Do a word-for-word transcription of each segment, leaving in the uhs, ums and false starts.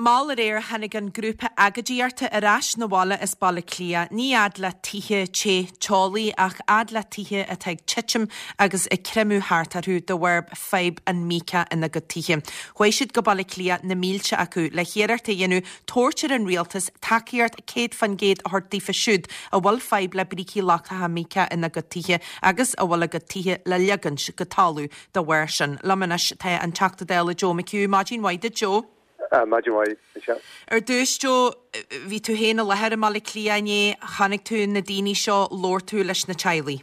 Mall aréir tháinig an grúpa agóidíochta ar ais 'na bhaile as Baile Átha Cliath, ní fhad le tithe te teolaí ach fhad le tithe atá ag titim agus ag creimeadh thart orthu de bharr fadhb an míoca ina gcuid tithe. Chuaigh siad go Baile Átha Cliath na mílte acu le hiarracht a dhéanamh tabhairt ar an rialtas tacaíocht céad faoin gcéad a thabhairt daofa siúd a bhfuil fadhb le brící lochtacha míoca ina gcuid tithe agus a bhfuil a gcuid tithe le ligean go talamh dá bharr sin. Liom anois tá an Teachta Dála Joe McHugh, maidin mhaith duit Joe. Maidin mhaith. Ar dtús Joe bhí tú féin i láthair i mBaile Átha Cliath inné chonaic tú na daoine seo labhair tú leis na teaghlaigh.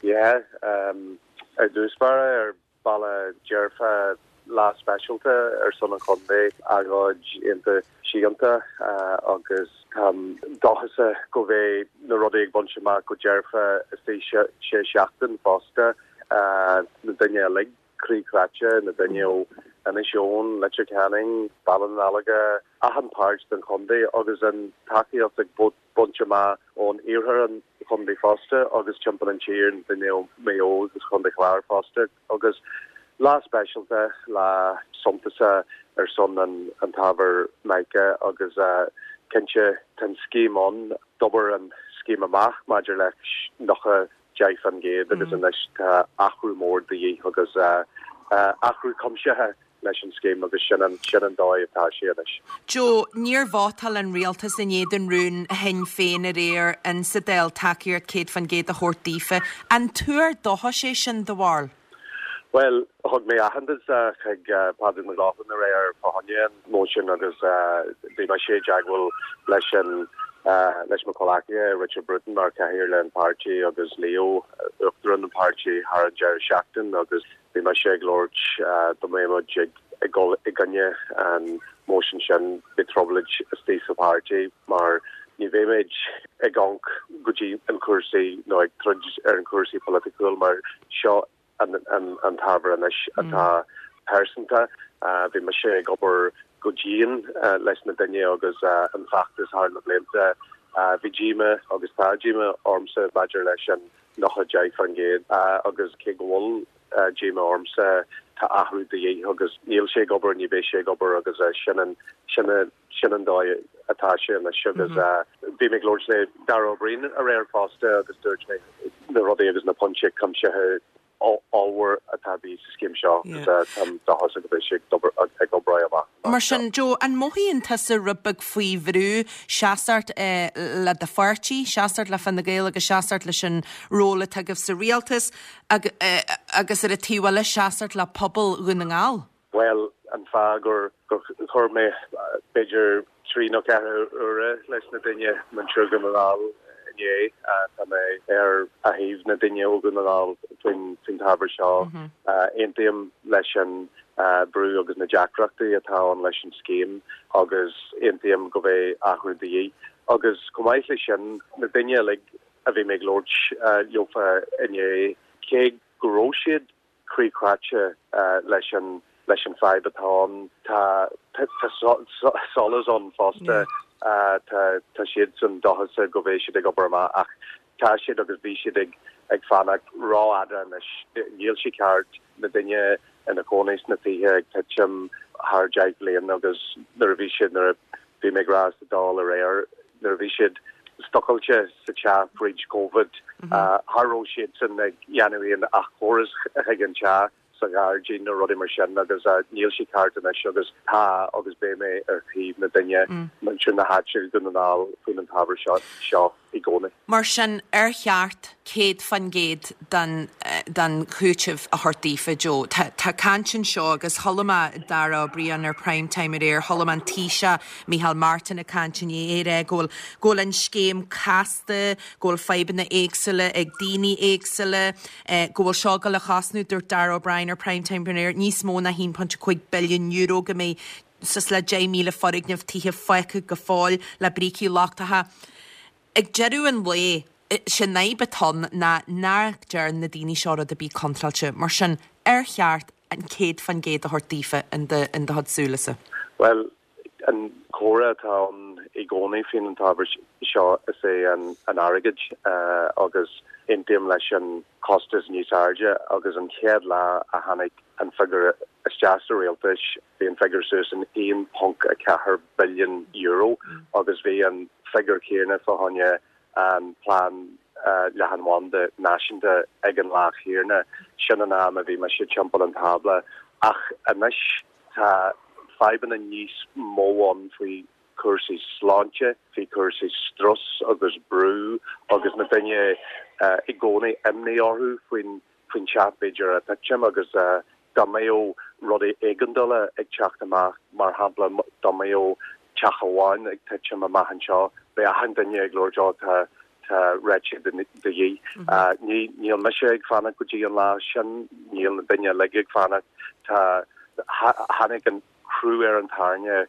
Yeah, um, ar dtús báire ar bhealach dearfa lá speisialta ar son an chontae agóid iontach síochánta uh, agus um, dóchasach go mbeidh na rudaí ag baint amach go dearfa is sé seachtain fosta uh, na daoine uilig croíchráite na daoine ó Inis Eoghain, Leitir Ceanainn, Baile na Lorgan achan páirt den chontae agus an tacaíocht ag baint amach ón iarthar an chontae fosta agus timpeall an tír daoine ó Mhaigh Eo agus Contae Chláir fosta agus lá speisialta lá suntasach ar son an an t-ábhar mica agus uh, cinnte tá scéim ann d'obair an scéim amach maidir le nócha deich faoin gcéad agus mm. anois tá athrú mór de dhíth agus uh, uh, athrú cuimsitheach leis an scéim agus sin an sin an dóigh atá sé anois. Joe, níor vótáil an rialtas in éadan rún Shinn Féin aréir in sa Dáil tacaíocht céad faoin gcéad a thabhairt daofa. An tuar dóchais é sin do bharúil? Well, thug mé aitheantas chuig Pádraig Mac Lochlainn aréir fá choinne an motion agus bhí mé i dteagmháil leis an leis mo chomhghleacaithe Richard Bruton mar chathaoirleach an pháirtí agus Leo uachtarán an pháirtí thar an deireadh seachtain agus bhí mé sé ag labhairt dá mbeadh muid ag ag dul i gcoinne an motion sin bhí trioblóid istigh sa pháirtí mar ní bheimid ag amharc go dtí an cúrsaí nó ag troid ar an cúrsaí polaitiúil mar seo an, an, an t-ábhar anois atá pearsanta bhí mé sé ag obair go dian uh, leis na daoine agus uh, an feachtas thar na blianta uh, bhí díomá agus tá díomá ormsa maidir leis an nócha deich faoin gcéad uh, agus cé go bhfuil uh, díomá ormsa tá athrú de dhíth agus níl sé ag obair ní bheidh sé ag obair agus uh, sin an sin sin an dóigh atá sé anois agus bhí mé ag labhairt le Darragh O'Brien aréir fosta agus dúirt mé na rudaí agus na pointí cuimsithe ábhar atá bí sa scéim seo dóchasach go mbeidh sé ag obair amach. Mar sin Joe an mothaíonn tusa rud beag faoi bhrú seasamh eh, le do pháirtí, seasamh le Fine Gael agus seasamh leis an ról atá agaibh sa rialtas ag, eh, agus ar an taobh eile seasamh le pobal Dhún na nGall. Well an fáth gur gur chuir mé b'fhéidir trí nó ceathair uaire leis na daoine muintir Dhún na nGall inné tá mé ar a thaobh na daoine ó Dhún na nGall faoin faoin t-ábhar seo aontaím leis an brú agus na deacrachtaí atá ann leis an scéim agus aontaím go mbeidh athrú de dhíth. agus chomh maith leis sin na daoine le a bhí mé ag labhairt leofa inné cé go raibh siad croíchráite leis an leis an fadhb atá ann tá solas ann fosta tá siad san dóchasach go mbeidh siad ag obair amach ach tá siad agus bhí siad ag ag fanacht rófhada anois níl sé ceart na daoine ina gcónaí sna tithe ag titim thar deich bliain agus nuair a bhí siad nuair a bhí mé ag rá sa Dáil aréir nuair a bhí siad stocáilte sa teach fríd COVID cha raibh siad san ag déanamh aon ach córas chuig an teach sa ghairdín nó rudaí mar sin agus níl sé ceart anois agus tá agus beidh mé ar thaobh na daoine muintir na háite Dhún na nGall faoin an t-ábhar seo seo i gcónaí. Mar sin ar cheart céad faoin gcéad den den chúiteamh a thabhairt daofa Joe. Tá tá caint anseo agus chuala mé Darragh O'Brien ar prime time aréir chuala mé an Taoiseach Micheál Martin ag caint inné é go bhfuil go bhfuil an scéim casta, go bhfuil fadhbanna éagsúla ag daoine éagsúla, eh, go bhfuil seo go le chosnú dúirt Darragh O'Brien ar prime time aréir níos mó ná haon pointe cúig billiún euro go mbeidh suas le deich míle foirgneamh tithe fágtha go fóill le brící lochtacha. Ag deireadh an lae sin fadhb atá ann ná nach ndearna na daoine seo rud a bhí contráilte, mar sin ar cheart an céad faoin gcéad a thabhairt daofa in do in do chuid súlasa. Well an comhrá atá ann i gcónaí faoin an t-ábhar seo is é an an airgead uh, agus Aontaím leis an costas níos airde agus an chéad lá a tháinig an figiúr isteach sa rialtas bhí an figiúr suas in aon ponc a ceathair billion euro agus bhí an figiúr céanna fá choinne an plean leathanbhanda náisiúnta ag an lá céanna sin an am a bhí mise timpeall an tábla ach anois tá fadhbanna níos mó ann faoi cúrsaí sláinte, faoi cúrsaí strus agus brú agus na daoine i gcónaí imní orthu faoin faoin teach b'fhéidir ag titim agus dá mbeadh rudaí éigeandála ag teacht amach mar shampla dá mbeadh teach amháin ag titim amach anseo beidh achan duine ag labhairt ó tá tá réiteach de dhíth. Ní níl mise ag fanacht go dtí an lá sin, níl na daoine uilig ag fanacht tá tháinig an crú ar an tairne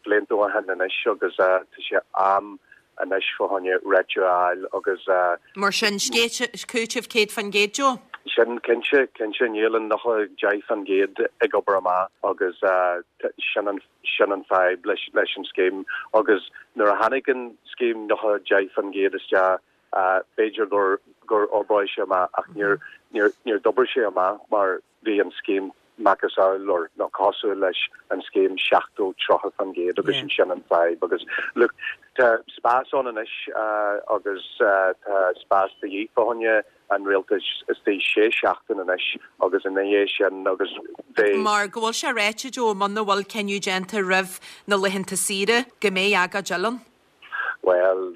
blianta ó shin anois agus tá sé am anois fá choinne réiteach a fháil agus Mar sin cúiteamh céad faoin gcéad Joe? Sin cinnte cinnte níl an nócha deich faoin gcéad ag obair amach agus sin an sin an fadhb leis leis an scéim agus nuair a tháinig an scéim nócha deich faoin gcéad isteach b'fhéidir gur gur oibreoidh sé amach ach níor níor níor d'oibrigh sé amach mar bhí an scéim macasamhail nó cosúil leis an scéim seachtó tríocha faoin gcéad agus sin sin an fadhb agus look tá spás ann anois agus tá spás de dhíth fá choinne an rialtais istigh sé seachtain anois agus ina dhiaidh sin agus bheidh Mar go bhfuil sé ráite Joe muna bhfuil cinneadh déanta roimh na laethanta saoire go mbeidh agóid eile ann? Well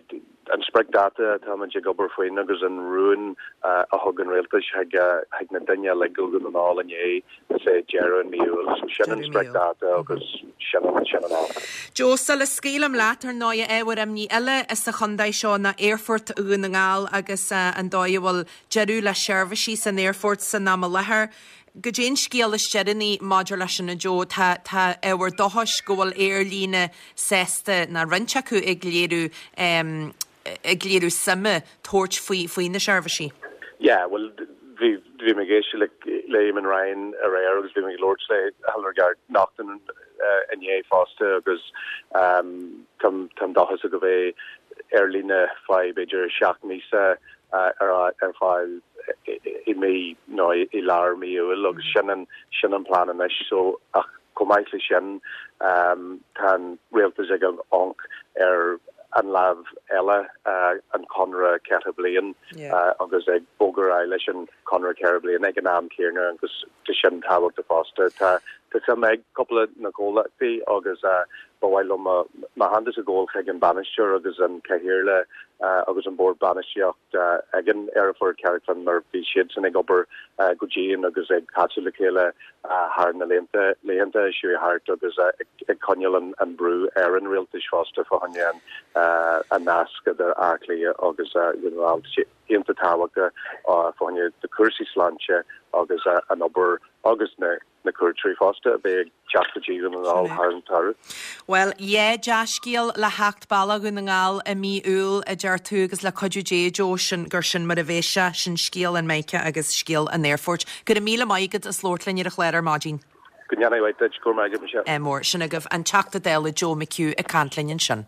an spriocdháta atáimid ag obair faoin agus an rún a thug an rialtas chuig chuig na daoine uilig i nDún na nGall inné is é deireadh an mí Iúil so sin an spriocdháta agus sin an sin an am. Joe sula scaoilim leat ar ndóigh ábhar imní eile sa chontae seo ná Aerfort Dhún na nGall agus an dóigh a bhfuil deireadh le seirbhísí san aerfort san am i láthair. Goidé an scéal is deireanaí maidir leis sin a Joe tá tá ábhar dóchais go bhfuil aerlíne sásta ná roinnt acu ag léiriú um, ag léiriú suime tabhairt faoi faoi na seirbhísí. Yeah, well bhí bhí mé ag éisteacht le le Eamon Ryan aréir agus bhí mé ag labhairt le Hildegarde Naughton inné fosta agus um, tá dóchas go mbeidh aerlíne faoi b'fhéidir seacht míosa ar ar fáil i mí nó i lár mí Iúil agus sin an sin an plan anois so ach chomh maith le sin um, tá an rialtas ag amharc ar an lámh eile uh, an conradh ceithre bliain yeah. uh, agus ag bogadh leis an conradh ceithre bliain ag an am céanna agus tá sin tábhachtach fosta tá tá suim ag cúpla na comhlachtaí agus uh, ba mhaith liom m'aitheantas a ghabháil chuig an bainisteoir agus an cathaoirleach uh, agus an bord bainistíocht uh, ag an aerfort Carrickfinn mar bhí siad san ag obair uh, go dian agus ag casadh le chéile uh, thar na laethanta laethanta seo thart agus uh, ag, ag coinneáil an, an brú ar an rialtas fosta fá choinne an uh, an nasc idir Áth Cliath agus uh, iontach tábhachtach uh, fá choinne de cúrsaí sláinte agus uh, an obair agus na na cuairteoirí fosta beidh teacht go dtí an thar an samhradh. Well yeah dea-scéal le theacht bealach Dhún na nGall i mí Iúil a deir tú agus le cuidiú Dé Joe sin gur sin mar a bheidh sé sin scéal an Meice agus scéal an aerfoirt. Go raibh míle maith agat as labhairt linn ar an chlár ar maidin. Go ndéana duit go maith sé. Mór sin agaibh an Teachta Dála Joe McHugh ag caint linn ansin.